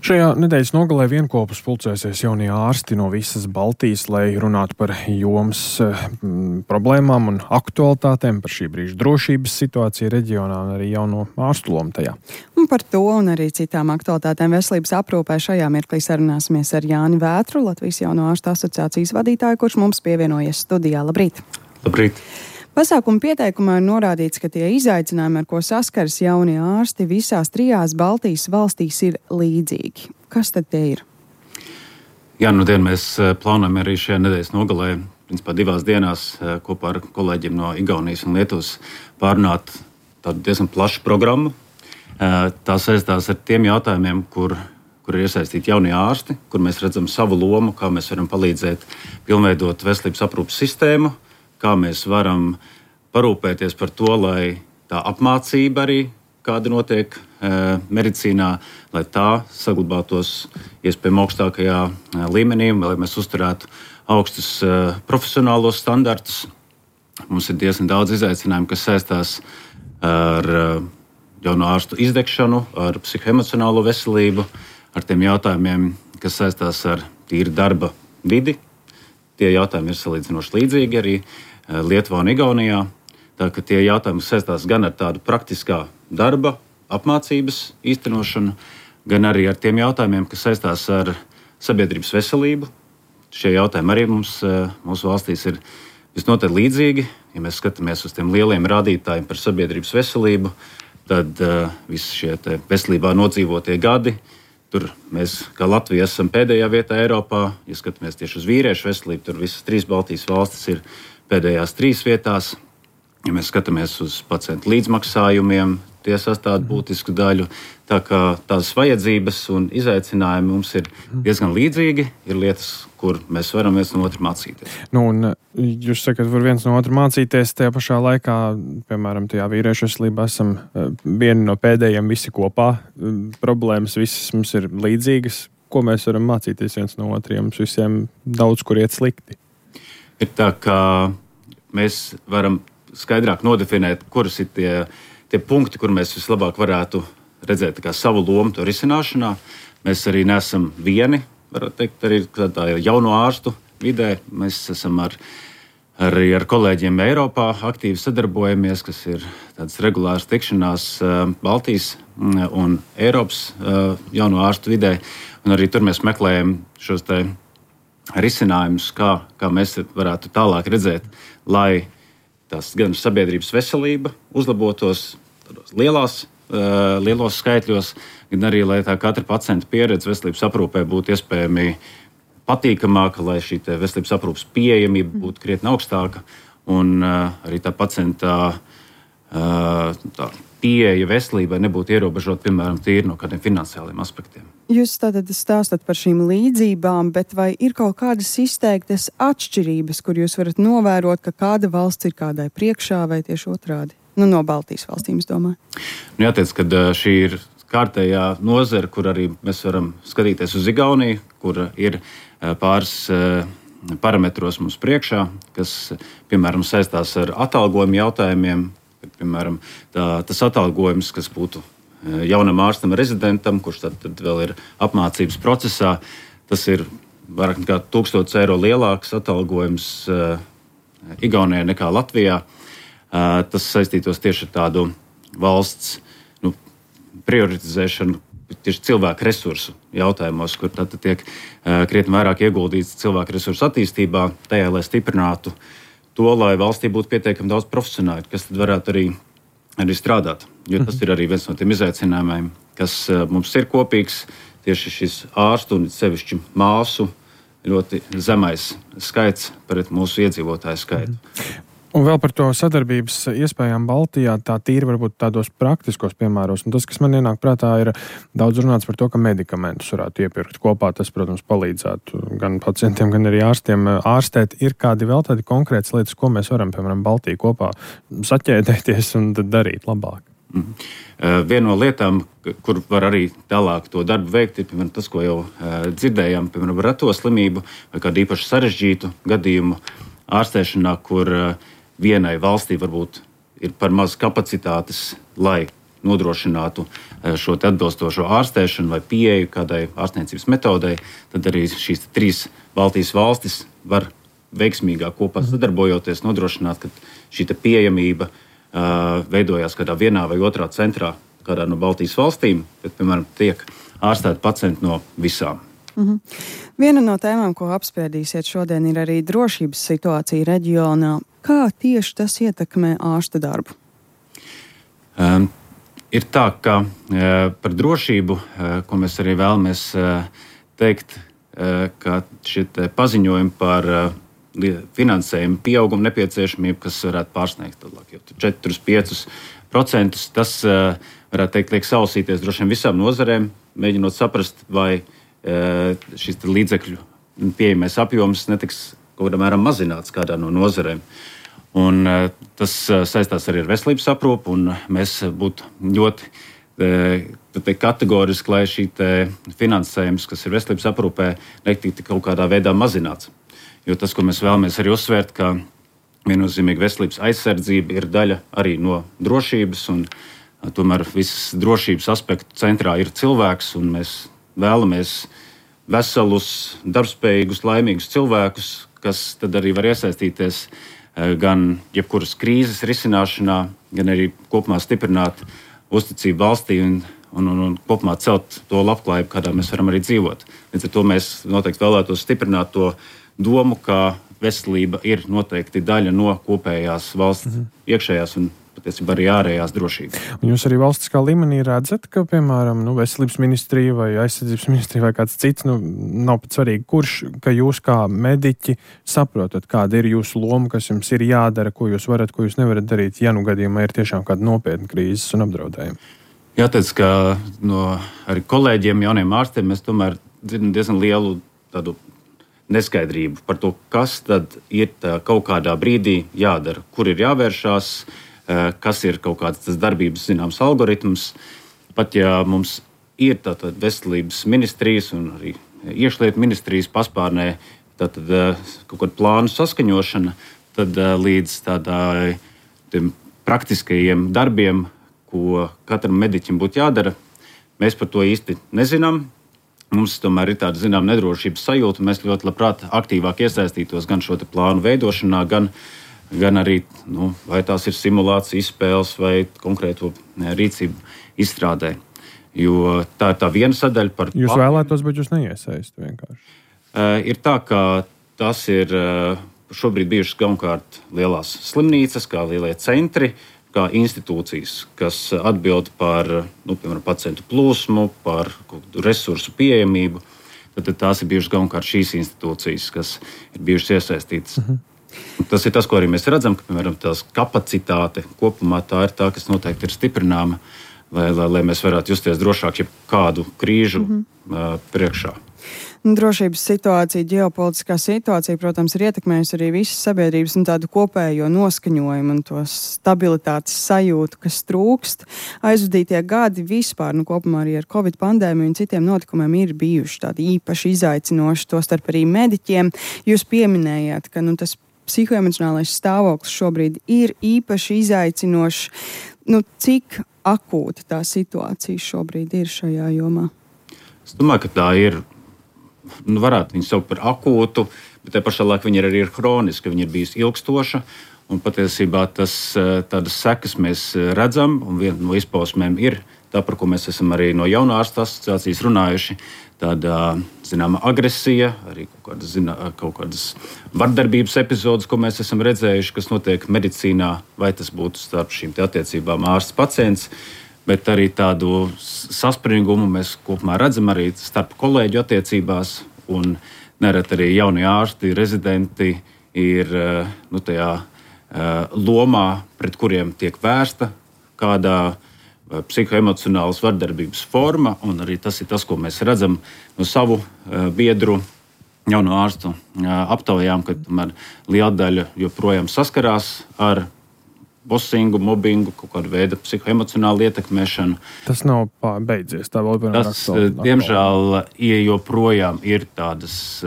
Šajā nedēļas nogalē vienkopus pulcēsies jaunie ārsti no visas Baltijas, lai runātu par jomas problēmām un aktualitātēm, par šī brīža drošības situāciju reģionā un arī jauno ārstu lomu tajā. Un par to un arī citām aktualitātēm veselības aprūpē šajā mirklī sarunāsimies ar Jāni Vētru, Latvijas jauno ārstu asociācijas vadītāju, kurš mums pievienojies studijā. Labrīt! Labrīt! Pasākuma pieteikumā ir norādīts, ka tie izaicinājumi, ar ko saskaras jaunie ārsti visās 3 Baltijas valstīs, ir līdzīgi. Kas tad tie ir? Jā, mēs plānojam arī šajā nedēļas nogalē, principā 2 dienās, kopā ar kolēģiem no Igaunijas un Lietuvas pārunāt tādu diezgan plašu programmu. Tā saistās ar tiem jautājumiem, kur ir iesaistīti jaunie ārsti, kur mēs redzam savu lomu, kā mēs varam palīdzēt pilnveidot veselības aprūpes sistēmu, kā mēs varam parūpēties par to, lai tā apmācība arī, kāda notiek medicīnā, lai tā saglabātos iespējami augstākajā līmenī, lai mēs uzturētu augstus profesionālos standartus. Mums ir diezgan daudz izaicinājumu, kas saistās ar jauno ārstu izdegšanu, ar psihoemocionālo veselību, ar tiem jautājumiem, kas saistās ar tīru darba vidi. Tie jautājumi ir salīdzinoši līdzīgi arī Lietuvā un Igaunijā. Tā ka tie jautājumi saistās gan ar tādu praktiskā darba, apmācības īstenošanu, gan arī ar tiem jautājumiem, kas saistās ar sabiedrības veselību. Šie jautājumi arī mūsu valstīs ir visnotaļ līdzīgi. Ja mēs skatāmies uz tiem lieliem rādītājiem par sabiedrības veselību, tad visi šie veselībā nodzīvotie gadi, tur mēs, kā Latvija, esam pēdējā vietā Eiropā. Ja skatāmies tieši uz vīriešu veselību, tur visas 3 Baltijas valstis ir pēdējās 3 vietās. Ja mēs skatāmies uz pacientu līdzmaksājumiem, tie sastāv būtisku daļu. Tā kā tās vajadzības un izaicinājumi mums ir diezgan līdzīgi, ir lietas, kur mēs varam viens no otra mācīties. Un jūs sakat, var viens no otra mācīties, tajā pašā laikā, piemēram, tajā vīriešu veselībā esam vieni no pēdējiem visi kopā. Problēmas visas mums ir līdzīgas. Ko mēs varam mācīties viens no otriem? Mums visiem daudz kur iet slikti. Ir tā, ka mēs varam skaidrāk nodefinēt, kuras ir tie punkti, kur mēs vislabāk varētu redzēt savu lomu to risināšanā. Mēs arī neesam vieni, varētu teikt, arī tādā jauno ārstu vidē. Mēs esam arī ar kolēģiem Eiropā aktīvi sadarbojamies, kas ir tādas regulāras tikšanās Baltijas un Eiropas jauno ārstu vidē. Un arī tur mēs meklējam šos risinājumus, kā mēs varētu tālāk redzēt, lai tas gan sabiedrības veselība uzlabotos lielos skaitļos, gan arī, lai tā katra pacienta pieredze veselības aprūpē būtu iespējami patīkamāka, lai šī veselības aprūpes pieejamība būtu krietni augstāka un arī tā pacienta tā pieeja veselībai nebūtu ierobežota, piemēram, tīri no kādiem finansiāliem aspektiem. Jūs tātad stāstat par šīm līdzībām, bet vai ir kaut kādas izteiktas atšķirības, kur jūs varat novērot, ka kāda valsts ir kādai priekšā vai tieši otrādi? No Baltijas valstīm, es domāju. Jāteic, ka šī ir kārtējā nozara, kur arī mēs varam skatīties uz Igauniju, kur ir pāris parametros mums priekšā, kas, piemēram, saistās ar atalgojumu jautājumiem. Piemēram, tas atalgojums, kas būtu jaunam ārstam, rezidentam, kurš tad vēl ir apmācības procesā, tas ir vairāk nekā 1000 eiro lielāks atalgojums Igaunijā nekā Latvijā. Tas saistītos tieši ar tādu valsts prioritizēšanu tieši cilvēku resursu jautājumos, kur tad tiek krietni vairāk ieguldīts cilvēku resursu attīstībā, tajā, lai stiprinātu to, lai valstī būtu pietiekami daudz profesionāļu, kas tad varētu arī strādāt. Jo tas ir arī viens no tiem izaicinājumiem, kas mums ir kopīgs, tieši šis ārstu un sevišķi māsu ļoti zemais skaits pret mūsu iedzīvotāju skaitu. Un vēl par to sadarbības iespējām Baltijā, tā tīri varbūt tādos praktiskos piemēros. Un tas, kas man ienāk prātā, ir daudz runāts par to, ka medikamentus varētu iepirkt kopā. Tas, protams, palīdzētu gan pacientiem, gan arī ārstiem ārstēt. Ir kādi vēl tādi konkrētas lietas, ko mēs varam, piemēram, Baltijā kopā saķēdēties un darīt labāk? Viena no lietām, kur var arī tālāk to darbu veikt, ir piemēram, tas, ko jau dzirdējām, piemēram, reto slimību vai kādu īpaši sarežģītu gadījumu ārstēšanā, kur vienai valstī varbūt ir par maz kapacitātes, lai nodrošinātu šo atbilstošo ārstēšanu vai pieeju kādai ārstniecības metodei, tad arī šīs 3 Baltijas valstis var veiksmīgāk kopā sadarbojoties nodrošināt, ka šī pieejamība veidojās kādā vienā vai otrā centrā, kādā no Baltijas valstīm, bet, piemēram, tiek ārstēti pacienti no visām. Viena no tēmām, ko apspriedīsiet šodien, ir arī drošības situācija reģionā. Kā tieši tas ietekmē ārsta darbu? Ir tā, ka par drošību, ko mēs arī vēlamies teikt, ka šie paziņojumi par finansējumu pieaugumu nepieciešamību, kas varētu pārsniegt 4-5%, tas varētu teikt, liek sausīties droši vien visām nozarēm, mēģinot saprast, vai šis līdzekļu pieejamais apjoms netiks kaut kādā mērā mazināts kādā no nozarēm. Un tas saistās arī ar veselības aprūpu, un mēs būtu ļoti kategoriski, lai šī finansējums, kas ir veselības aprūpē, netiktu kaut kādā veidā mazināts. Jo tas, ko mēs vēlamies arī uzsvērt, ka viennozīmīgi veselības aizsardzība ir daļa arī no drošības, un tomēr visas drošības aspektu centrā ir cilvēks, un mēs vēlamies veselus, darbspējīgus, laimīgus cilvēkus, kas tad arī var iesaistīties gan jebkuras krīzes risināšanā, gan arī kopumā stiprināt uzticību valstī un kopumā celt to labklājību, kādā mēs varam arī dzīvot. Līdz ar to mēs noteikti vēlētos stiprināt to domu, ka veselība ir noteikti daļa no kopējās valsts iekšējās un patiesībā arī ārējās drošības. Un jūs arī valstiskā līmenī redzat, ka, piemēram, veselības ministrija vai aizsardzības ministrija vai kāds cits, nav pat svarīgi, kurš, ka jūs kā mediķi saprotat, kāda ir jūsu loma, kas jums ir jādara, ko jūs varat, ko jūs nevarat darīt, ja gadījumā ir tiešām kāda nopietna krīzes un apdraudējuma. Jāteic, ka no arī kolēģiem, jauniem ārstiem, mēs tomēr dzirdam diezgan lielu tādu neskaidrību par to, kas tad ir kaut kādā brīdī jādara, kur ir jāvēršās, kas ir kaut kāds tas darbības zināms algoritms. Pat ja mums ir tātad veselības ministrijas un arī iekšlietu ministrijas paspārnē tātad kaut kāda plānu saskaņošana, tad līdz tādai praktiskajiem darbiem, ko katram mediķim būtu jādara, mēs par to īsti nezinām. Mums tomēr ir tāda zinām nedrošības sajūta, un mēs ļoti labprāt aktīvāk iesaistītos gan šo plānu veidošanā, gan arī, vai tās ir simulācijas izspēles vai konkrēto rīcību izstrādē. Jo tā ir tā viena sadaļa par... Jūs vēlētos, bet jūs neiesaistu vienkārši. Ir tā, ka tas ir šobrīd bijušas galvenokārt lielās slimnīcas, kā lielie centri, kā institūcijas, kas atbild par piemēram, pacientu plūsmu, par resursu pieejamību. Tad tās ir bijušas galvenokārt šīs institūcijas, kas ir bijušas iesaistītas. Tas ir tas, ko arī mēs redzam, ka piemēram, tās kapacitāte kopumā tā ir tā, kas noteikti ir stiprināma, lai mēs varētu justies drošāk jebkādu krīžu priekšā. Drošības situācija, ģeopolitiskā situācija, protams, ir ietekmējusi arī visas sabiedrības un tādu kopējo noskaņojumu un to stabilitātes sajūtu, kas trūkst. Aizvadītie gadi vispār, kopumā arī ar Covid pandēmiju un citiem notikumiem ir bijuši tādi īpaši izaicinoši, tostarp arī mediķiem. Jūs pieminējāt, ka tas psihoemocionālais stāvoklis šobrīd ir īpaši izaicinošs. Cik akūta tā situācija šobrīd ir šajā jomā? Es domāju, ka tā ir. Varētu viņu saukt par akūtu, bet te pašā laikā viņa arī ir hroniska, viņa ir bijusi ilgstoša. Un patiesībā tādas sekas mēs redzam, un viena no izpausmēm ir tā, par ko mēs esam arī no jaunā ārstu asociācijas runājuši. Tāda, zināma, agresija, arī kaut kādas vardarbības epizodes, ko mēs esam redzējuši, kas notiek medicīnā, vai tas būtu starp šīm attiecībām ārsts-pacients. Bet arī tādu saspringumu mēs kopumā redzam arī starp kolēģu attiecībās. Un nereti arī jaunie ārsti, rezidenti ir tajā lomā, pret kuriem tiek vērsta kādā psihoemocionālas vardarbības forma. Un arī tas ir tas, ko mēs redzam no savu biedru jauno ārstu aptaujām, ka liela daļa joprojām saskarās ar bosingu, mobbingu, kaut kādu veidu psihoemocionālu ietekmēšanu. Tas nav beidzies. Tā vēl tas, diemžēl, joprojām ir tādas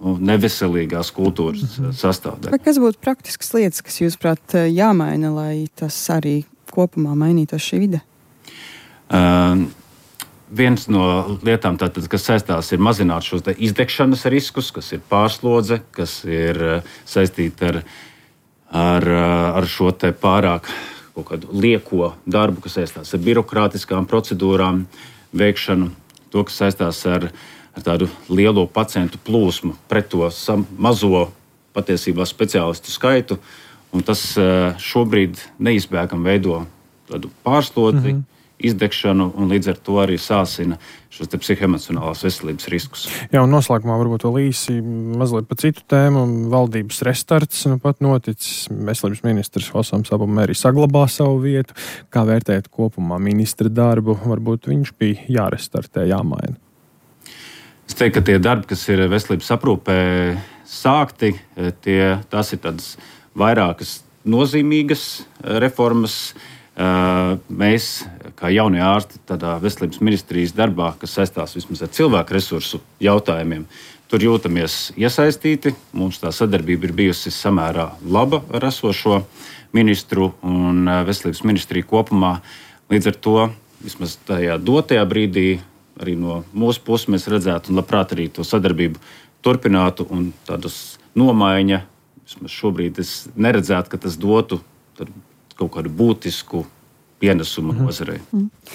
neveselīgās kultūras sastāvdaļa. Kas būtu praktiskas lietas, kas, jūsuprāt, jāmaina, lai tas arī kopumā mainītos šī vide? Viens no lietām, tātad, kas saistās, ir mazināt šos izdegšanas riskus, kas ir pārslodze, kas ir saistīta ar šo te pārāk kaut kādu lieko darbu, kas saistās ar birokrātiskām procedūrām veikšanu, to, kas saistās ar tādu lielo pacientu plūsmu pret to mazo patiesībā speciālistu skaitu, un tas šobrīd neizbēgami veido tādu pārslodzi, izdegšanu un līdz ar to arī sāsina šos psihoemocionālās veselības riskus. Jā, un noslēgumā varbūt vēl īsi mazliet par citu tēmu. Valdības restarts pat noticis. Veselības ministrs Osams Abumeri saglabā savu vietu. Kā vērtēt kopumā ministra darbu? Varbūt viņš bija jārestartē, jāmaina. Es teiktu, ka tie darbi, kas ir veselības aprūpē sākti, tās ir tādas vairākas nozīmīgas reformas. Mēs, kā jaunie ārsti, tādā veselības ministrijas darbā, kas saistās vismaz ar cilvēku resursu jautājumiem, tur jūtamies iesaistīti. Mums tā sadarbība ir bijusi samērā laba ar esošo ministru un veselības ministriju kopumā. Līdz ar to, vismaz tajā dotajā brīdī, arī no mūsu puses mēs redzētu un labprāt arī to sadarbību turpinātu un tādas nomaiņa, vismaz šobrīd es neredzētu, ka tas dotu kaut kādu būtisku pienesumu nozarei.